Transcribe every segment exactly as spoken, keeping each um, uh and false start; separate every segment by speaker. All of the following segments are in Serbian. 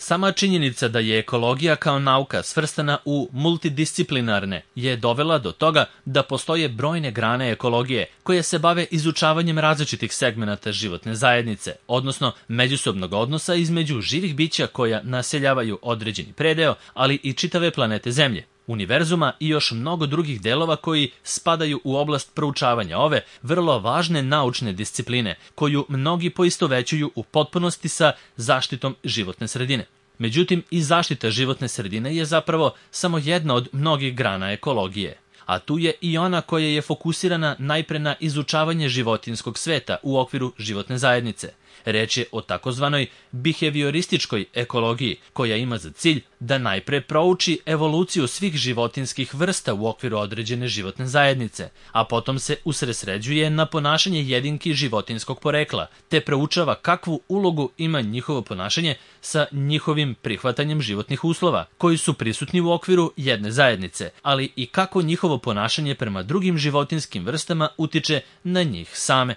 Speaker 1: Sama činjenica da je ekologija kao nauka svrstana u multidisciplinarne je dovela do toga da postoje brojne grane ekologije koje se bave izučavanjem različitih segmenata životne zajednice, odnosno međusobnog odnosa između živih bića koja naseljavaju određeni predeo, ali i čitave planete Zemlje, univerzuma i još mnogo drugih delova koji spadaju u oblast proučavanja ove vrlo važne naučne discipline, koju mnogi poistovećuju u potpunosti sa zaštitom životne sredine. Međutim, i zaštita životne sredine je zapravo samo jedna od mnogih grana ekologije, a tu je i ona koja je fokusirana najpre na izučavanje životinjskog sveta u okviru životne zajednice. Reč je o takozvanoj biheviorističkoj ekologiji, koja ima za cilj da najpre prouči evoluciju svih životinjskih vrsta u okviru određene životne zajednice, a potom se usredsređuje na ponašanje jedinki životinjskog porekla, te proučava kakvu ulogu ima njihovo ponašanje sa njihovim prihvatanjem životnih uslova, koji su prisutni u okviru jedne zajednice, ali i kako njihovo ponašanje prema drugim životinjskim vrstama utiče na njih same.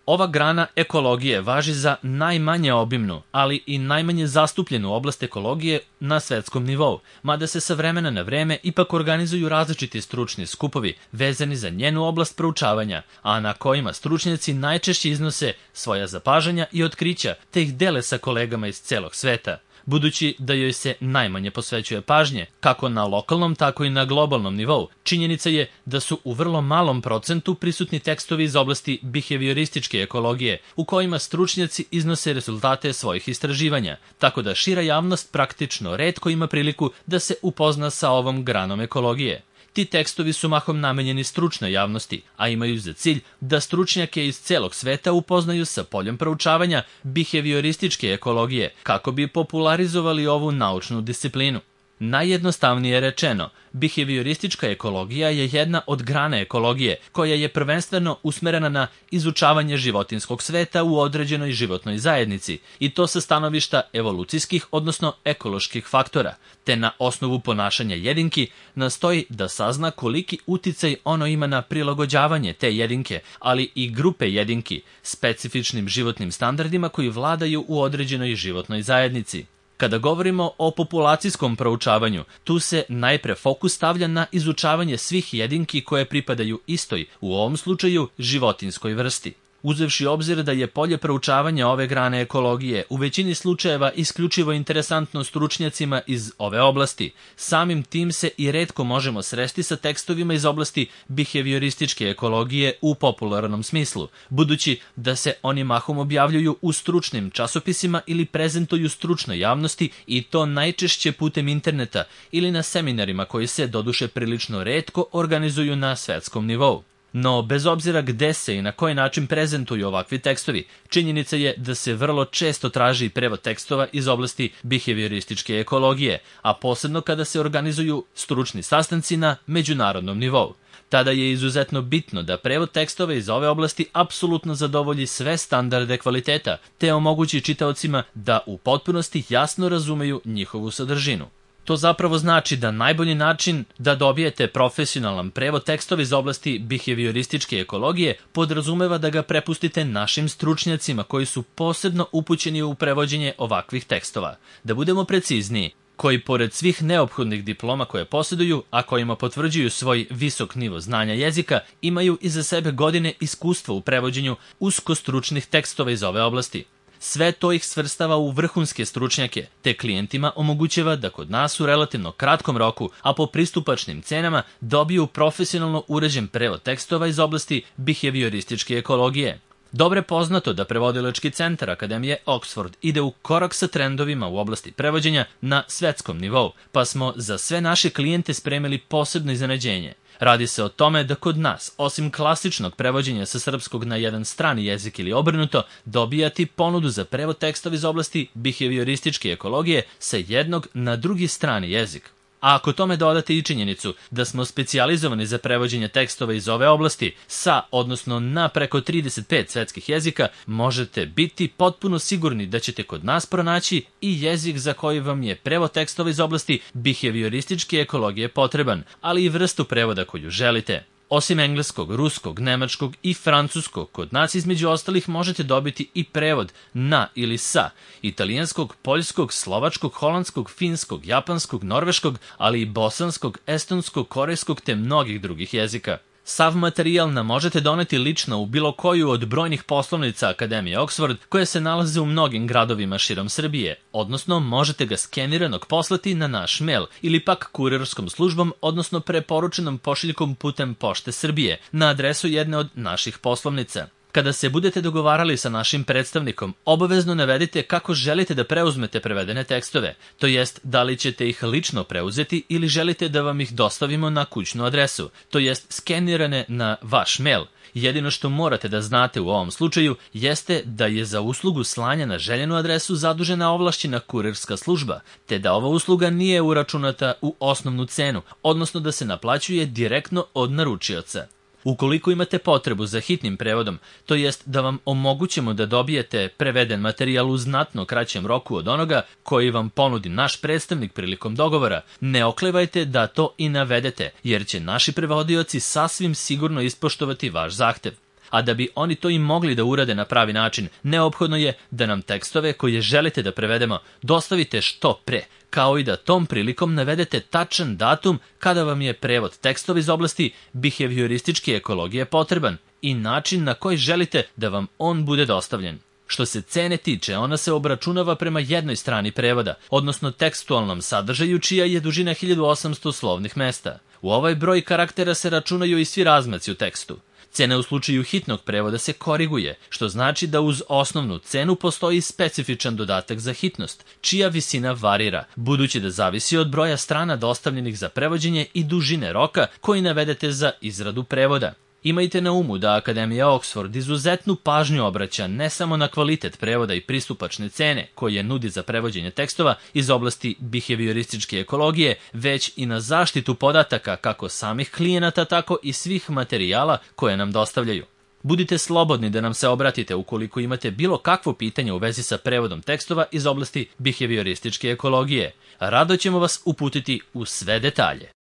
Speaker 1: Ova grana ekologije važi za najmanje obimnu, ali i najmanje zastupljenu oblast ekologije na svetskom nivou, mada se sa vremena na vreme ipak organizuju različiti stručni skupovi vezani za njenu oblast proučavanja, a na kojima stručnjaci najčešće iznose svoja zapažanja i otkrića, te ih dele sa kolegama iz celog sveta. Budući da joj se najmanje posvećuje pažnje, kako na lokalnom, tako i na globalnom nivou, činjenica je da su u vrlo malom procentu prisutni tekstovi iz oblasti biheviorističke ekologije, u kojima stručnjaci iznose rezultate svojih istraživanja, tako da šira javnost praktično retko ima priliku da se upozna sa ovom granom ekologije. Ti tekstovi su mahom namenjeni stručnoj javnosti, a imaju za cilj da stručnjake iz celog sveta upoznaju sa poljom proučavanja biheviorističke ekologije, kako bi popularizovali ovu naučnu disciplinu. Najjednostavnije rečeno, bihevioristička ekologija je jedna od grana ekologije koja je prvenstveno usmerena na izučavanje životinjskog sveta u određenoj životnoj zajednici, i to sa stanovišta evolucijskih, odnosno ekoloških faktora, te na osnovu ponašanja jedinki nastoji da sazna koliki uticaj ono ima na prilagođavanje te jedinke, ali i grupe jedinki, specifičnim životnim standardima koji vladaju u određenoj životnoj zajednici. Kada govorimo o populacijskom proučavanju, tu se najpre fokus stavlja na izučavanje svih jedinki koje pripadaju istoj, u ovom slučaju životinjskoj vrsti. Uzevši obzir da je polje proučavanja ove grane ekologije u većini slučajeva isključivo interesantno stručnjacima iz ove oblasti, samim tim se i retko možemo sresti sa tekstovima iz oblasti biheviorističke ekologije u popularnom smislu, budući da se oni mahom objavljuju u stručnim časopisima ili prezentuju stručnoj javnosti, i to najčešće putem interneta ili na seminarima koji se doduše prilično retko organizuju na svetskom nivou. No, bez obzira gde se i na koji način prezentuju ovakvi tekstovi, činjenica je da se vrlo često traži prevod tekstova iz oblasti biheviorističke ekologije, a posebno kada se organizuju stručni sastanci na međunarodnom nivou. Tada je izuzetno bitno da prevod tekstova iz ove oblasti apsolutno zadovolji sve standarde kvaliteta, te omogući čitaocima da u potpunosti jasno razumeju njihovu sadržinu. To zapravo znači da najbolji način da dobijete profesionalan prevod tekstova iz oblasti biheviorističke ekologije podrazumeva da ga prepustite našim stručnjacima koji su posebno upućeni u prevođenje ovakvih tekstova. Da budemo precizniji, koji pored svih neophodnih diploma koje posjeduju, a kojima potvrđuju svoj visok nivo znanja jezika, imaju iza sebe godine iskustva u prevođenju uskostručnih tekstova iz ove oblasti. Sve to ih svrstava u vrhunske stručnjake, te klijentima omogućava da kod nas u relativno kratkom roku, a po pristupačnim cenama, dobiju profesionalno uređen prevod tekstova iz oblasti biheviorističke ekologije. Dobro je poznato da prevodilački centar Akademije Oxford ide u korak sa trendovima u oblasti prevođenja na svetskom nivou, pa smo za sve naše klijente spremili posebno iznenađenje. Radi se o tome da kod nas, osim klasičnog prevođenja sa srpskog na jedan strani jezik ili obrnuto, dobijati ponudu za prevod tekstova iz oblasti biheviorističke ekologije sa jednog na drugi strani jezik. A ako tome dodate i činjenicu da smo specijalizovani za prevođenje tekstova iz ove oblasti sa, odnosno na preko trideset pet svetskih jezika, možete biti potpuno sigurni da ćete kod nas pronaći i jezik za koji vam je prevod tekstova iz oblasti biheviorističke ekologije potreban, ali i vrstu prevoda koju želite. Osim engleskog, ruskog, nemačkog i francuskog, kod nas između ostalih možete dobiti i prevod na ili sa italijanskog, poljskog, slovačkog, holandskog, finskog, japanskog, norveškog, ali i bosanskog, estonskog, korejskog te mnogih drugih jezika. Sav materijal nam možete doneti lično u bilo koju od brojnih poslovnica Akademije Oxford koje se nalaze u mnogim gradovima širom Srbije, odnosno možete ga skeniranog poslati na naš mail ili pak kurirskom službom, odnosno preporučenom pošiljkom putem Pošte Srbije na adresu jedne od naših poslovnica. Kada se budete dogovarali sa našim predstavnikom, obavezno navedite kako želite da preuzmete prevedene tekstove, to jest da li ćete ih lično preuzeti ili želite da vam ih dostavimo na kućnu adresu, to jest skenirane na vaš mail. Jedino što morate da znate u ovom slučaju jeste da je za uslugu slanja na željenu adresu zadužena ovlašćena kurirska služba, te da ova usluga nije uračunata u osnovnu cenu, odnosno da se naplaćuje direktno od naručioca. Ukoliko imate potrebu za hitnim prevodom, to jest da vam omogućimo da dobijete preveden materijal u znatno kraćem roku od onoga koji vam ponudi naš predstavnik prilikom dogovora, ne oklevajte da to i navedete, jer će naši prevodioci sasvim sigurno ispoštovati vaš zahtev. A da bi oni to i mogli da urade na pravi način, neophodno je da nam tekstove koje želite da prevedemo dostavite što pre, kao i da tom prilikom navedete tačan datum kada vam je prevod tekstova iz oblasti biheviorističke ekologije potreban i način na koji želite da vam on bude dostavljen. Što se cene tiče, ona se obračunava prema jednoj strani prevoda, odnosno tekstualnom sadržaju čija je dužina hiljadu osamsto slovnih mesta. U ovaj broj karaktera se računaju i svi razmaci u tekstu. Cena u slučaju hitnog prevoda se koriguje, što znači da uz osnovnu cenu postoji specifičan dodatak za hitnost, čija visina varira, budući da zavisi od broja strana dostavljenih za prevođenje i dužine roka koji navedete za izradu prevoda. Imajte na umu da Akademija Oxford izuzetnu pažnju obraća ne samo na kvalitet prevoda i pristupačne cene koje nudi za prevođenje tekstova iz oblasti biheviorističke ekologije, već i na zaštitu podataka kako samih klijenata, tako i svih materijala koje nam dostavljaju. Budite slobodni da nam se obratite ukoliko imate bilo kakvo pitanje u vezi sa prevodom tekstova iz oblasti biheviorističke ekologije. Rado ćemo vas uputiti u sve detalje.